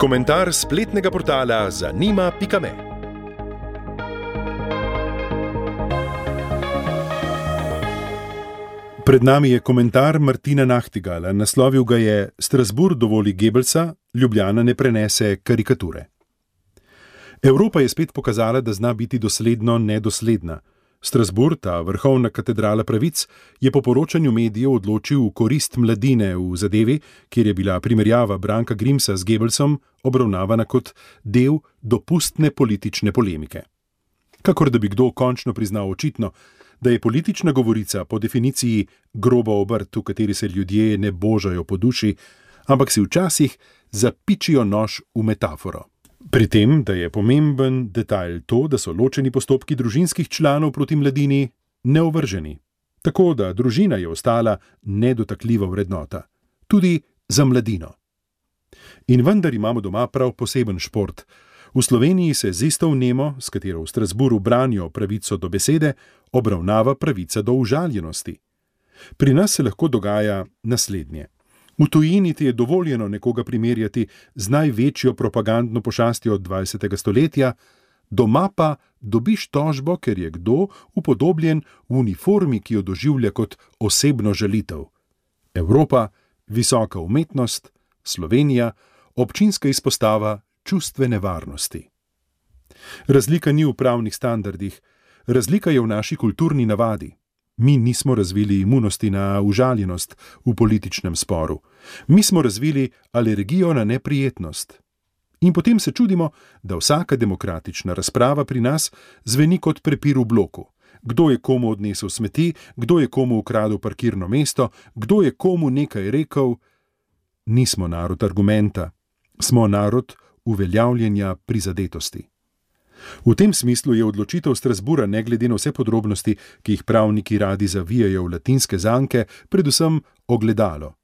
Komentar spletnega portala zanima.me. Pred nami je komentar Martina Nachtigala. Naslovil ga je Strasbourg dovoli Goebbelsa, Ljubljana ne prenese karikature. Evropa je spet pokazala, da zna biti dosledno nedosledna. Strasbourg, ta vrhovna katedrala pravic, je po poročanju medijev odločil v korist mladine v zadevi, kjer je bila primerjava Branka Grimsa z Goebbelsom obravnavana kot del dopustne politične polemike. Kakor da bi kdo končno priznal očitno, da je politična govorica po definiciji groba obrt, v kateri se ljudje ne božajo po duši, ampak si včasih zapičijo nož v metaforo. Pri tem, da je pomemben detajl to, da so ločeni postopki družinskih članov proti mladini neovrženi. Tako da družina je ostala nedotakljiva vrednota. Tudi za mladino. In vendar imamo doma prav poseben šport. V Sloveniji se z isto vnemo, s katero v Strasbourgu branijo pravico do besede, obravnava pravica do užaljenosti. Pri nas se lahko dogaja naslednje. V tujini ti je dovoljeno nekoga primerjati z največjo propagandno pošastjo od 20. stoletja, doma pa dobiš tožbo, ker je kdo upodobljen v uniformi, ki jo doživlja kot osebno žalitev. Evropa, visoka umetnost, Slovenija, občinska izpostava čustvene varnosti. Razlika ni v pravnih standardih, razlika je v naši kulturni navadi. Mi nismo razvili imunosti na užaljenost v političnem sporu. Mi smo razvili alergijo na neprijetnost. In potem se čudimo, da vsaka demokratična razprava pri nas zveni kot prepir v bloku. Kdo je komu odnesel smeti, kdo je komu ukradel parkirno mesto, kdo je komu nekaj rekel. Nismo narod argumenta, smo narod uveljavljanja prizadetosti. V tem smislu je odločitev Strasbourga, ne glede na vse podrobnosti, ki jih pravniki radi zavijajo v latinske zanke, predvsem ogledalo.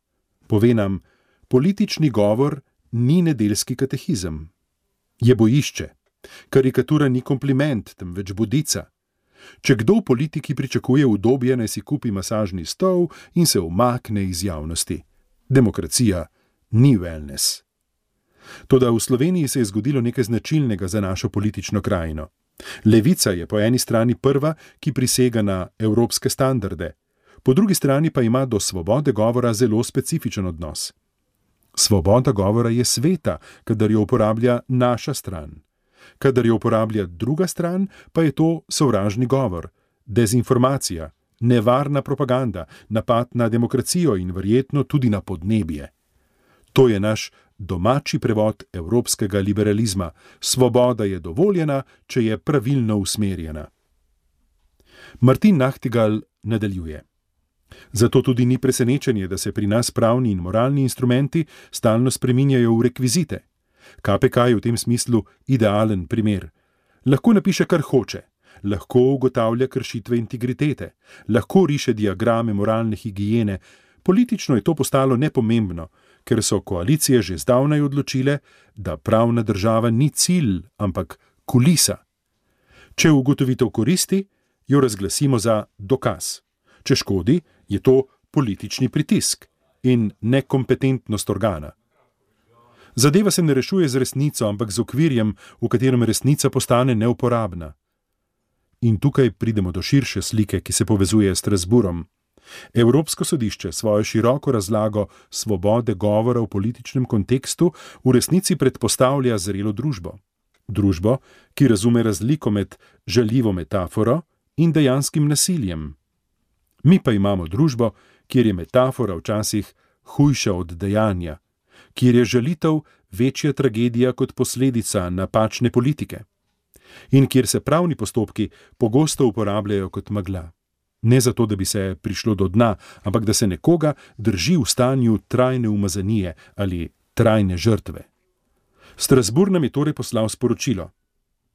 Pove nam, politični govor ni nedeljski katehizem. Je bojišče. Karikatura ni kompliment, temveč budica. Če kdo v politiki pričakuje udobje, naj si kupi masažni stol in se umakne iz javnosti. Demokracija ni wellness. Toda v Sloveniji se je zgodilo nekaj značilnega za našo politično krajino. Levica je po eni strani prva, ki prisega na evropske standarde, po drugi strani pa ima do svobode govora zelo specifičen odnos. Svoboda govora je sveta, kadar jo uporablja naša stran. Kadar jo uporablja druga stran, pa je to sovražni govor, dezinformacija, nevarna propaganda, napad na demokracijo in verjetno tudi na podnebje. To je naš domači prevod evropskega liberalizma. Svoboda je dovoljena, če je pravilno usmerjena. Martin Nachtigal nadaljuje. Zato tudi ni presenečenje, da se pri nas pravni in moralni instrumenti stalno spreminjajo v rekvizite. KPK je v tem smislu idealen primer. Lahko napiše, kar hoče. Lahko ugotavlja kršitve integritete. Lahko riše diagrame moralne higiene. Politično je to postalo nepomembno, ker so koalicije že zdavnaj odločile, da pravna država ni cilj, ampak kulisa. Če ugotovitev koristi, jo razglasimo za dokaz. Če škodi, je to politični pritisk in nekompetentnost organa. Zadeva se ne rešuje z resnico, ampak z okvirjem, v katerem resnica postane neuporabna. In tukaj pridemo do širše slike, ki se povezuje s Strasbourgom. Evropsko sodišče svojo široko razlago svobode govora v političnem kontekstu v resnici predpostavlja zrelo družbo. Družbo, ki razume razliko med žaljivo metaforo in dejanskim nasiljem. Mi pa imamo družbo, kjer je metafora včasih hujša od dejanja, kjer je žalitev večja tragedija kot posledica napačne politike in kjer se pravni postopki pogosto uporabljajo kot megla. Ne zato, da bi se prišlo do dna, ampak da se nekoga drži v stanju trajne umazanije ali trajne žrtve. Strasbourg nam je torej poslal sporočilo.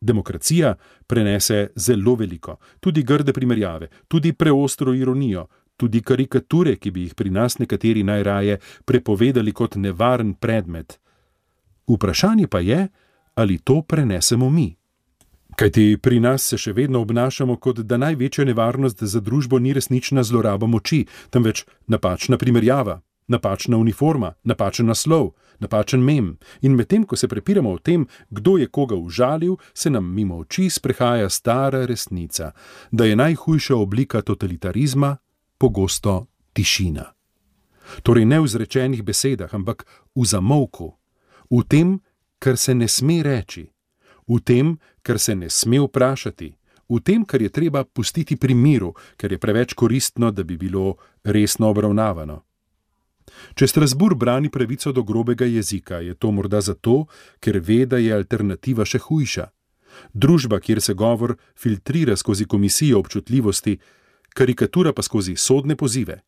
Demokracija prenese zelo veliko, tudi grde primerjave, tudi preostro ironijo, tudi karikature, ki bi jih pri nas nekateri najraje prepovedali kot nevaren predmet. Vprašanje pa je, ali to prenesemo mi. Kajti pri nas se še vedno obnašamo, kot da največja nevarnost za družbo ni resnična zloraba moči, temveč napačna primerjava, napačna uniforma, napačen naslov, napačen mem, in medtem, ko se prepiramo o tem, kdo je koga užalil, se nam mimo oči sprehaja stara resnica, da je najhujša oblika totalitarizma pogosto tišina. Torej ne v izrečenih besedah, ampak v zamolku, v tem, kar se ne sme reči, v tem, kar se ne sme vprašati, v tem, kar je treba pustiti pri miru, ker je preveč koristno, da bi bilo resno obravnavano. Če Strasbourg brani pravico do grobega jezika, je to morda zato, ker ve, da je alternativa še hujša. Družba, kjer se govor filtrira skozi komisijo občutljivosti, karikatura pa skozi sodne pozive.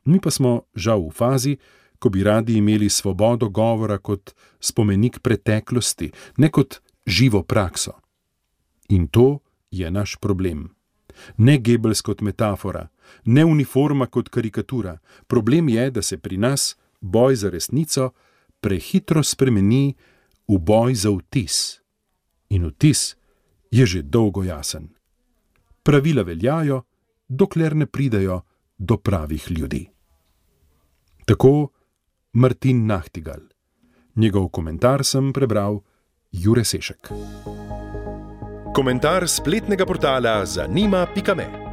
Mi pa smo žal v fazi, ko bi radi imeli svobodo govora kot spomenik preteklosti, ne kot živo prakso. In to je naš problem. Ne Goebbels kot metafora, ne uniforma kot karikatura. Problem je, da se pri nas boj za resnico prehitro spremeni v boj za vtis. In vtis je že dolgo jasen. Pravila veljajo, dokler ne pridejo do pravih ljudi. Tako Martin Nachtigal. Njegov komentar sem prebral Jure Sešek. Komentar spletnega portala zanima.me